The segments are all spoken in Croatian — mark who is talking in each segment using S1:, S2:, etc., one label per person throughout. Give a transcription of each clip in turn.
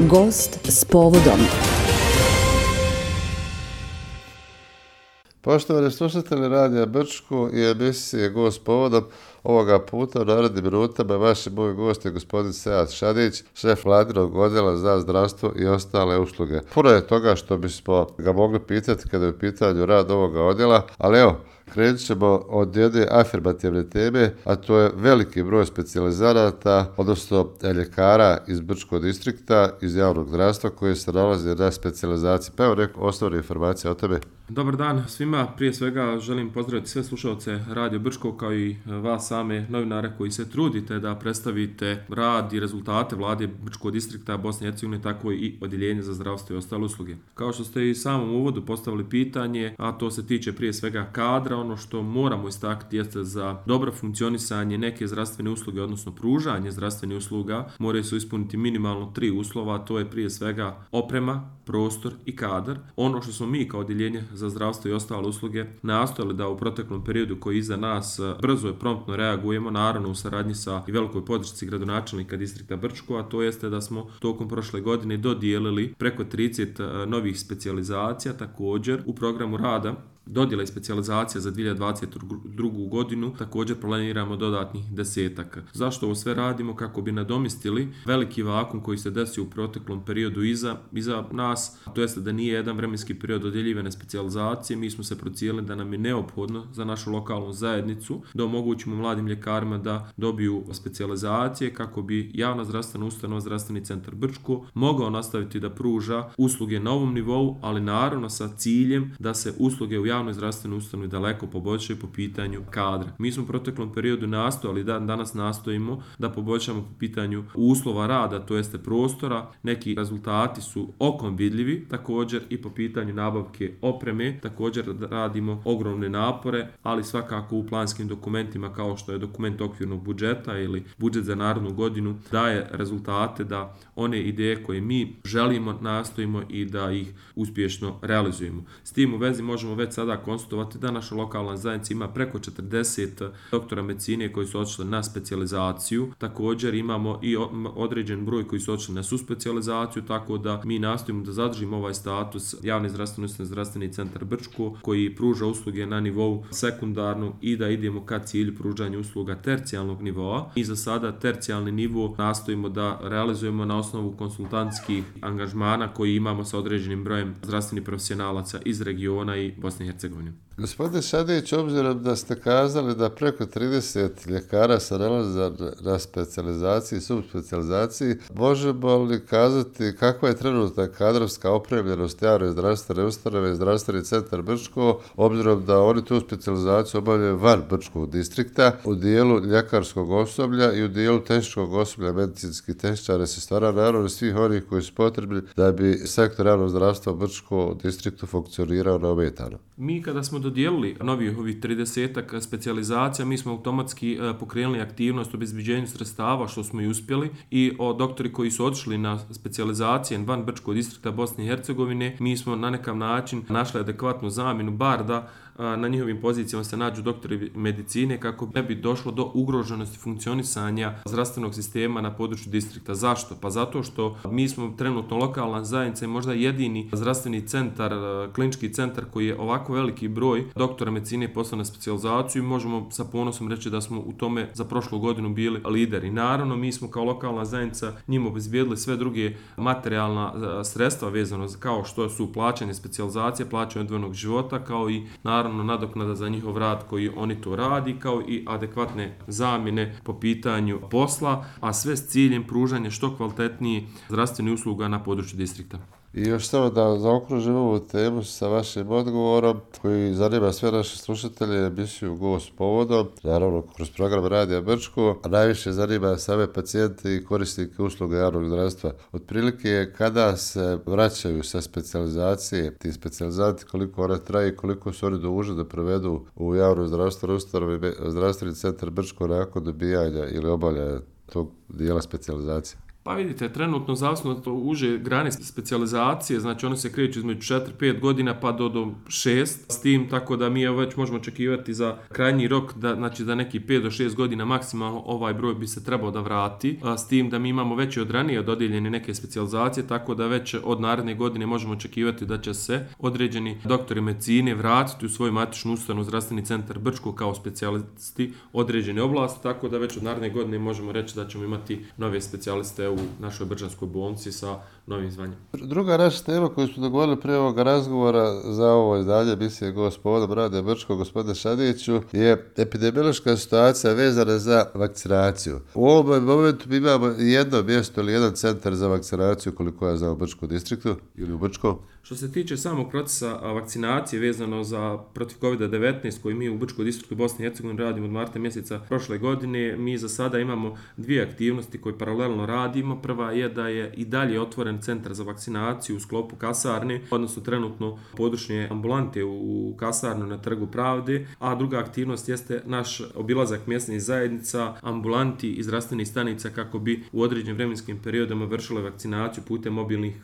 S1: Gost s povodom.
S2: Poštovani slušatelji Radija Brčko i emisije Gost s povodom, ovoga puta u narednim minutama vaši moj gost je gospodin Sead Šadić, šef Vladinog odjela za zdravstvo i ostale usluge. Puno je toga što bismo ga mogli pitati kada je u pitanju rad ovoga odjela, ali evo, krenut ćemo od jedne afirmativne teme, a to je veliki broj specijalizanata, odnosno ljekara iz Brčkog distrikta, iz javnog zdravstva koji se nalaze na specijalizaciji. Pa evo neko osnovne informacije o tebe.
S3: Dobar dan svima, prije svega želim pozdraviti sve slušalce Radio Brčko kao i vas same novinare koji se trudite da predstavite rad i rezultate Vlade Brčkog distrikta Bosne i Hercegovine, tako i odjeljenje za zdravstvo i ostale usluge. Kao što ste i samom uvodu postavili pitanje, a to se tiče prije svega kadra, ono što moramo istaknuti jeste za dobro funkcionisanje neke zdravstvene usluge, odnosno pružanje zdravstvenih usluga, moraju se ispuniti minimalno 3 uslova, a to je prije svega oprema, prostor i kadar. Ono što smo mi kao odjeljenje za zdravstvo i ostale usluge nastojali da u proteklom periodu koji je iza nas brzo i promptno reagujemo, naravno u saradnji sa i velikoj podršci gradonačelnika distrikta Brčko, a to jeste da smo tokom prošle godine dodijelili preko 30 novih specijalizacija. Također u programu rada dodjela i specijalizacija za 2022. godinu također planiramo dodatnih 10. Zašto ovo sve radimo? Kako bi nadomjestili veliki vakuum koji se desio u proteklom periodu iza nas, to jeste da nije jedan vremenski period dodjeljivane specijalizacije. Mi smo se procijenili da nam je neophodno za našu lokalnu zajednicu da omogućimo mladim ljekarima da dobiju specijalizacije kako bi javna zdravstvena ustanova Zdravstveni centar Brčko mogao nastaviti da pruža usluge na ovom nivou, ali naravno sa ciljem da se usluge u javnoj zdravstvenoj ustanovi daleko poboljšaju po pitanju kadra. Mi smo u proteklom periodu nastojali, danas nastojimo da poboljšamo po pitanju uslova rada, to jeste prostora. Neki rezultati su okom vidljivi, također i po pitanju nabavke opreme, također radimo ogromne napore, ali svakako u planskim dokumentima kao što je dokument okvirnog budžeta ili budžet za narednu godinu daje rezultate da one ideje koje mi želimo nastojimo i da ih uspješno realizujemo. S tim u vezi možemo već sada konstatovati da naša lokalna zajednica ima preko 40 doktora medicine koji su otišli na specijalizaciju. Također imamo i određen broj koji su otišli na suspecijalizaciju, tako da mi nastojimo da zadržimo ovaj status javne zdravstvene ustanove Zdravstveni centar Brčko koji pruža usluge na nivou sekundarnog i da idemo ka cilju pružanja usluga tercijalnog nivoa. I za sada tercijalni nivo nastojimo da realizujemo na osnovu konsultantskih angažmana koji imamo sa određenim brojem zdravstvenih profesionalaca iz regiona i Bosne i Hercegovine.
S2: Gospodine Šadić, obzirom da ste kazali da preko 30 ljekara se nalaze na specijalizaciji i subspecijalizaciji, možemo li kazati kakva je trenutna kadrovska opremljenost javne zdravstvene ustanove Zdravstveni centar Brčko, obzirom da oni tu specijalizaciju obavljaju van Brčkog distrikta u dijelu ljekarskog osoblja i u dijelu tehničkog osoblja, medicinskih tehničara, sestara, naravno svih onih koji su potrebni da bi sektor javnog zdravstva u Brčkom distriktu funkcionirao neometano.
S3: Mi kada smo dodijelili novih ovih 30 specijalizacija, mi smo automatski pokrenuli aktivnost o obezbeđenju sredstava, što smo i uspjeli, i doktori koji su otišli na specijalizacije van Brčkog distrikta Bosne i Hercegovine, mi smo na nekav način našli adekvatnu zamjenu, bar da na njihovim pozicijama se nađu doktori medicine kako ne bi došlo do ugroženosti funkcionisanja zdravstvenog sistema na području distrikta. Zašto? Pa zato što mi smo trenutno lokalna zajednica i možda jedini zdravstveni centar, klinički centar koji je ovako veliki broj doktora medicine poslao na specijalizaciju i možemo sa ponosom reći da smo u tome za prošlu godinu bili lideri. Naravno, mi smo kao lokalna zajednica njima obezbijedili sve druge materijalna sredstva vezano kao što su plaćanje specijalizacije, plaćanje odvojenog života, kao i naravno nadoknada za njihov rad koji oni to radi, kao i adekvatne zamjene po pitanju posla, a sve s ciljem pružanja što kvalitetnijih zdravstvenih usluga na području distrikta.
S2: I još samo da zaokružim ovu temu sa vašim odgovorom koji zanima sve naše slušatelje, emisiju Gost s povodom, naravno kroz program Radija Brčko, a najviše zanima same pacijente i korisnike usluga javnog zdravstva. Otprilike kada se vraćaju sa specijalizacije, ti specijalizanti, koliko one traje i koliko su oni dužni da provedu u javnoj zdravstvenoj ustanovi Zdravstveni centar Brčko nakon dobijanja ili obavljanja tog dijela specijalizacije?
S3: Pa vidite, trenutno zavisno od uže grane specijalizacije, znači one se kreću između 4-5 godina pa do 6 s tim, tako da mi već možemo očekivati za krajnji rok da neki 5 do 6 godina maksimalno ovaj broj bi se trebao da vrati, s tim da mi imamo već od ranije dodijeljene neke specijalizacije, tako da već od naredne godine možemo očekivati da će se određeni doktori medicine vratiti u svoju matičnu ustanovu zdravstveni centar Brčko kao specijalisti određene oblasti, tako da već od naredne godine možemo reći da ćemo imati nove specijaliste u našoj Brčanskoj bolnici sa novim zvanjem.
S2: Druga naša tema koju smo dogovorili prije ovoga razgovora za ovo izdanje emisije Gospodom Rade Brčko, gospodine Šadiću, je epidemiološka situacija vezana za vakcinaciju. U ovom momentu mi imamo jedno mjesto ili jedan centar za vakcinaciju, koliko ja znam, u Brčkom distriktu ili u Brčkom.
S3: Što se tiče samog procesa vakcinacije vezano za protiv COVID-19 koji mi u Brčkom distriktu Bosne i Hercegovine radimo od marta mjeseca prošle godine, mi za sada imamo dvije aktivnosti koje paralelno radimo. Prva je da je i dalje otvoren centar za vakcinaciju u sklopu kasarne, odnosno trenutno područne ambulante u kasarnu na Trgu Pravde, a druga aktivnost jeste naš obilazak mjesnih zajednica, ambulanti i zdravstvenih stanica kako bi u određenim vremenskim periodima vršile vakcinaciju putem mobilnih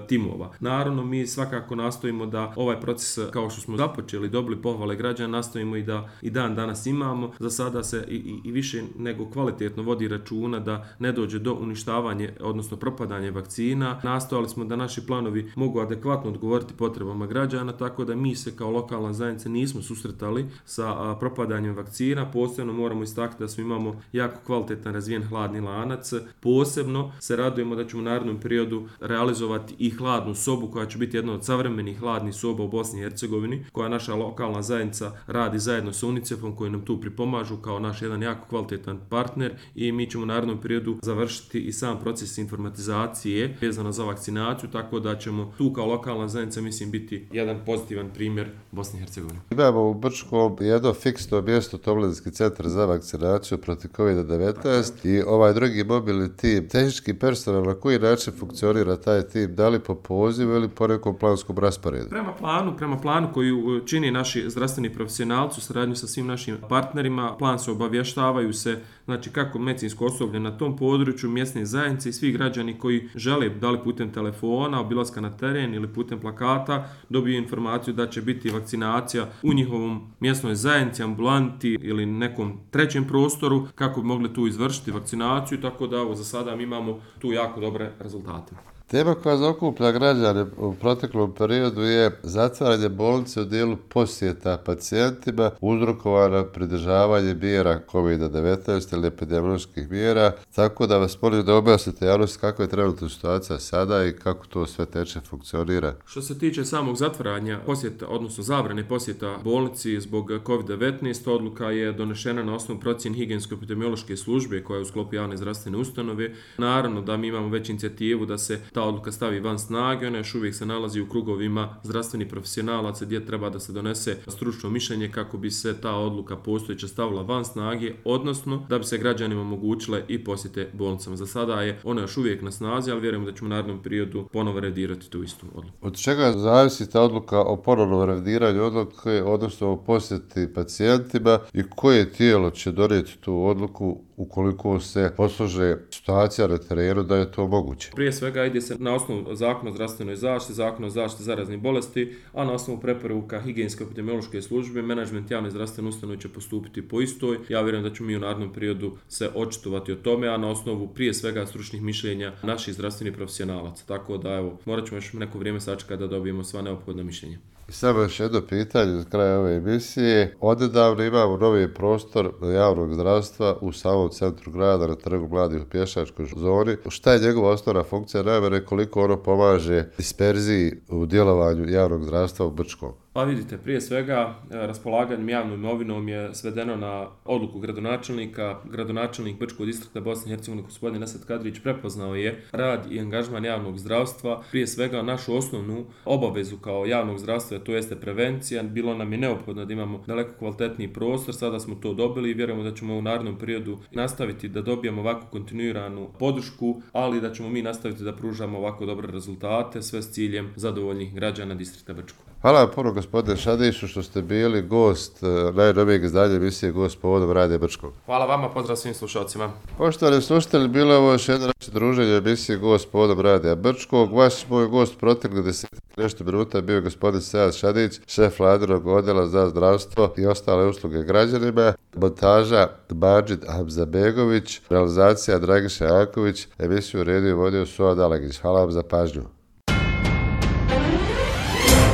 S3: timova. Naravno, mi svakako nastojimo da ovaj proces, kao što smo započeli, dobili pohvale građana, nastojimo i da i dan danas imamo. Za sada se i više nego kvalitetno vodi računa da ne dođe do uništavanja, odnosno propadanja vakcina. Nastojali smo da naši planovi mogu adekvatno odgovoriti potrebama građana, tako da mi se kao lokalna zajednica nismo susretali sa propadanjem vakcina. Posebno moramo istaknuti da imamo jako kvalitetan razvijen hladni lanac. Posebno se radujemo da ćemo u narednom periodu realizovati i hladnu sobu koja će biti jedna od savremenih hladnih soba u Bosni i Hercegovini, koja naša lokalna zajednica radi zajedno sa UNICEF-om koji nam tu pripomažu kao naš jedan jako kvalitetan partner, i mi ćemo u narednom periodu završiti i sam proces informatizacije vezano za vakcinaciju, tako da ćemo tu kao lokalna zajednica, mislim, biti jedan pozitivan primjer Bosne i Hercegovine.
S2: Imamo u Brčkom jedno fiksno mjesto, Tomlinski centar za vakcinaciju protiv COVID-19 i ovaj drugi mobilni tim. Tehnički personal, na koji način funkcionira taj tim? Da li po pozivu ili po nekom planskom rasporedu?
S3: Prema planu koju čini naši zdravstveni profesionalci u saradnju sa svim našim partnerima, plan se obavještavaju se, znači kako medicinsko osoblje na tom području, mjesne zajednice i svi građani koji žele, da li putem telefona, obilaska na teren ili putem plakata, dobiju informaciju da će biti vakcinacija u njihovom mjesnoj zajednici, ambulanti ili nekom trećem prostoru, kako bi mogli tu izvršiti vakcinaciju, tako da za sada mi imamo tu jako dobre rezultate.
S2: Tema koja zaokuplja građane u proteklom periodu je zatvaranje bolnice u dijelu posjeta pacijentima uzrokovana pridržavanje mjera COVID-19 ili epidemioloških mjera, tako da vas molim da objasnite javnosti kakva je trenutna situacija sada i kako to sve teče, funkcionira.
S3: Što se tiče samog zatvaranja posjeta, odnosno zabrane posjeta bolnici zbog COVID-19, odluka je donešena na osnovu procjene higijensko-epidemiološke službe koja je u sklopu javne zdravstvene ustanove. Naravno da mi imamo već inicijativu da se ta odluka stavi van snage, ona još uvijek se nalazi u krugovima zdravstvenih profesionalaca gdje treba da se donese stručno mišljenje kako bi se ta odluka postojeća stavila van snage, odnosno da bi se građanima omogućile i posjete bolnicama. Za sada je ona još uvijek na snazi, ali vjerujemo da ćemo u narednom periodu ponovo revidirati tu istu odluku.
S2: Od čega zavisi ta odluka o ponovnom revidiranju odluke, odnosno o posjeti pacijentima, i koje tijelo će donijeti tu odluku ukoliko se poslože situacija na terenu da je to moguće?
S3: Prije svega ide se na osnovu Zakona o zdravstvenoj zaštiti, Zakona o zaštiti zaraznih bolesti, a na osnovu preporuka higijensko-epidemiološke službe menadžment javne zdravstvene ustanove će postupiti po istoj. Ja vjerujem da ćemo mi u narednom periodu se očitovati o tome, a na osnovu prije svega stručnih mišljenja naših zdravstvenih profesionalaca. Tako da morat ćemo još neko vrijeme sačekati da dobijemo sva neophodna mišljenja.
S2: I samo još jedno pitanje za kraj ove emisije. Odnedavno imamo novi prostor javnog zdravstva u samom centru grada na Trgu mladih u pješačkoj zoni. Šta je njegova osnovna funkcija, najmanje koliko ono pomaže disperziji u djelovanju javnog zdravstva u Brčkom?
S3: Pa vidite, prije svega raspolaganjem javnom imovinom je svedeno na odluku gradonačelnika. Gradonačelnik Brčkog distrikta Bosne i Hercegovine gospodin Esad Kadrić prepoznao je rad i angažman javnog zdravstva. Prije svega našu osnovnu obavezu kao javnog zdravstva, to jeste prevencija. Bilo nam je neophodno da imamo daleko kvalitetniji prostor, sada smo to dobili i vjerujemo da ćemo u narednom periodu nastaviti da dobijemo ovako kontinuiranu podršku, ali da ćemo mi nastaviti da pružamo ovako dobre rezultate, sve s ciljem zadovoljnih građana distrikta Brčko.
S2: Hvala vam puno, gospodine Šadiću, što ste bili gost najnovijeg izdanja emisije Gost povodom Radija Brčkog.
S3: Hvala vama, pozdrav svim slušalcima.
S2: Poštovani slušatelji, bilo je ovo još jedno naše druženje emisije Gost povodom Radija Brčkog. Vaš moj gost proteklih 10 nešto minuta bio je gospodin Sead Šadić, šef vladinog odjela za zdravstvo i ostale usluge građanima. Montaža Madžid Hamzabegović, realizacija Dragiša Janković, emisiju redio i vodio Suad Alagić. Hvala vam za pažnju.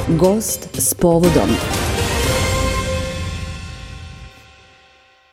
S1: Gost s povodom.